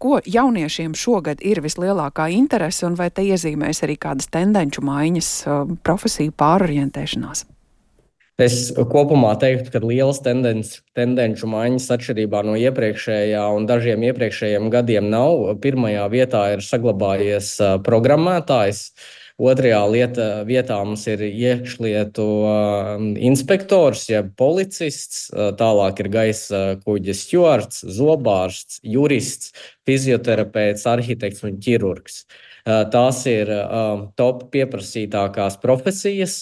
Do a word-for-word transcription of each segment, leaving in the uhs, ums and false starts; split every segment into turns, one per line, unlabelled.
ko jauniešiem šogad ir vislielākā interese un vai te iezīmēs arī kādas tendenču maiņas, profesiju pārorientēšanās?
Es kopumā teiktu, ka lielas tendences, tendenču maiņas atšķirībā no iepriekšējā un dažiem iepriekšējiem gadiem nav. Pirmajā vietā ir saglabājies programmētājs. Otrajā lieta, vietā mums ir iekšlietu inspektors, jeb policists, tālāk ir gaisa kuģa stjuards, zobārsts, jurists, fizioterapeits, arhitekts un ķirurgs. Tās ir top pieprasītākās profesijas,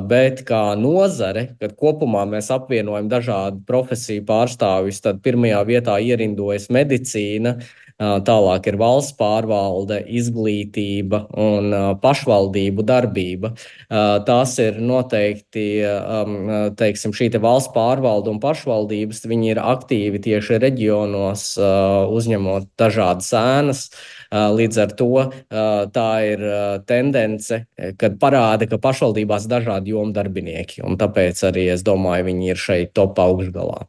bet kā nozare, kad kopumā mēs apvienojam dažādu profesiju pārstāvjus, tad pirmajā vietā ierindojas medicīna, tālāk ir valsts pārvalde, izglītība un pašvaldību darbība. Tās ir noteikti, teiksim, šī te valsts pārvalde un pašvaldības, viņi ir aktīvi tieši reģionos, uzņemot dažādas ēnas. Līdz ar to tā ir tendence, kad parāda, ka pašvaldībās dažādi jomu darbinieki, un tāpēc arī, es domāju, viņi ir šeit top augšgalā.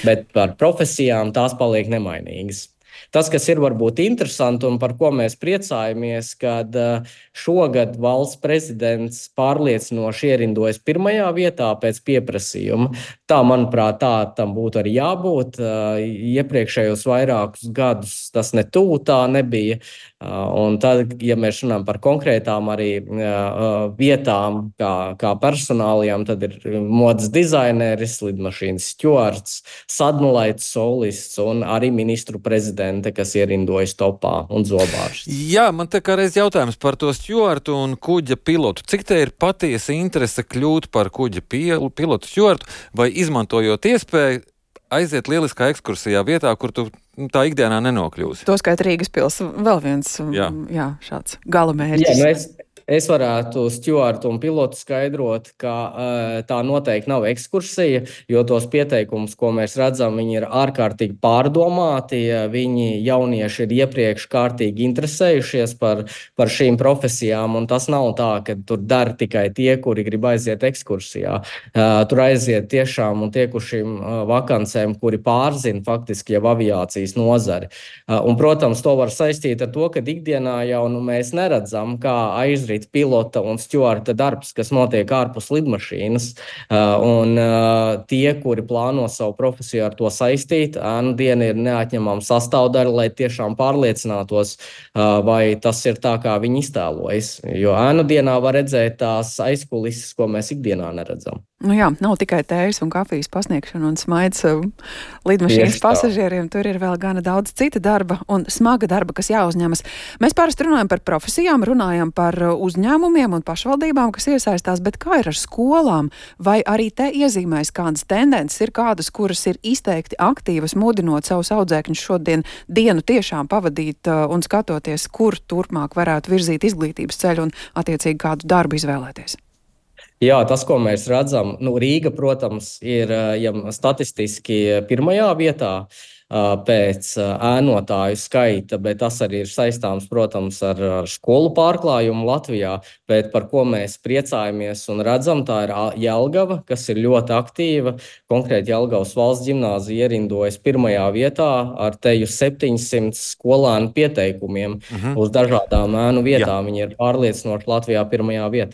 Bet par profesijām tās paliek nemainīgas. Tas, kas ir varbūt interesanti un par ko mēs priecājamies, kad šogad valsts prezidents pārliecinoši ierindojas pirmajā vietā pēc pieprasījuma. Tā, manuprāt, tā tam būtu arī jābūt. Iepriekšējos vairākus gadus tas ne tuvu tā nebija. Un tad, ja mēs runājam par konkrētām arī vietām, kā, kā personālijām, tad ir modes dizaineris, lidmašīnas stjuards, sadmulaits solists un arī ministru prezidente, kas ierindojas topā, un zobārsts.
Jā, man te kā reiz jautājums par to stjuartu un kuģa pilotu. Cik te ir patiesa interese kļūt par kuģa pilotu stjuartu, vai izmantojot iespēju aiziet lieliskā ekskursijā vietā, kur tu tā ikdienā nenokļūsi?
To skait Rīgas pils vēl viens jā. Jā, šāds galamērķis.
Jā, nu es, es varētu stjuartu un pilotu skaidrot, ka uh, tā noteikti nav ekskursija, jo tos pieteikumus, ko mēs redzam, viņi ir ārkārtīgi pārdomāti, viņi jaunieši ir iepriekš kārtīgi interesējušies par, par šīm profesijām, un tas nav tā, ka tur dara tikai tie, kuri grib aiziet ekskursijā. Uh, tur aiziet tiešām un tiekušiem uh, vakancēm, kuri pārzina faktiski jau aviācijas nozari. Uh, un, protams, to var saistīt ar to, ka ikdienā jau nu, mēs neredzam, kā aizrīt pilota un stjuarta darbs, kas notiek ārpus lidmašīnas. Un tie, kuri plāno savu profesiju ar to saistīt, ēnu diena ir neatņemama sastāvdaļa, lai tiešām pārliecinātos, vai tas ir tā, kā viņi iztēlojas. Jo ēnu dienā var redzēt tās aizkulises, ko mēs ikdienā neredzam.
Nu jā, nav tikai tējas un kafijas pasniegšana un smaids lidmašīnas pasažieriem, tur ir vēl gana daudz cita darba un smaga darba, kas jāuzņemas. Mēs parasti runājam par profesijām, runājam par uzņēmumiem un pašvaldībām, kas iesaistās, bet kā ir ar skolām? Vai arī te iezīmēs kādas tendences, ir kādas, kuras ir izteikti aktīvas, mudinot savus audzēkņus šodien dienu tiešām pavadīt un skatoties, kur turpmāk varētu virzīt izglītības ceļu un attiecīgi kādu darbu izvēlēties?
Jā, tas, ko mēs redzam, nu, Rīga, protams, ir ja, statistiski pirmajā vietā pēc ēnotāju skaita, bet tas arī ir saistāms, protams, ar, ar skolu pārklājumu Latvijā, bet par ko mēs priecājamies un redzam, tā ir Jelgava, kas ir ļoti aktīva. Konkrēti Jelgavas valsts ģimnāzija ierindojas pirmajā vietā ar teju septiņsimt skolēnu pieteikumiem uh-huh. uz dažādām ēnu vietām. Jā. Viņi ir pārliecinoši Latvijā pirmajā vietā.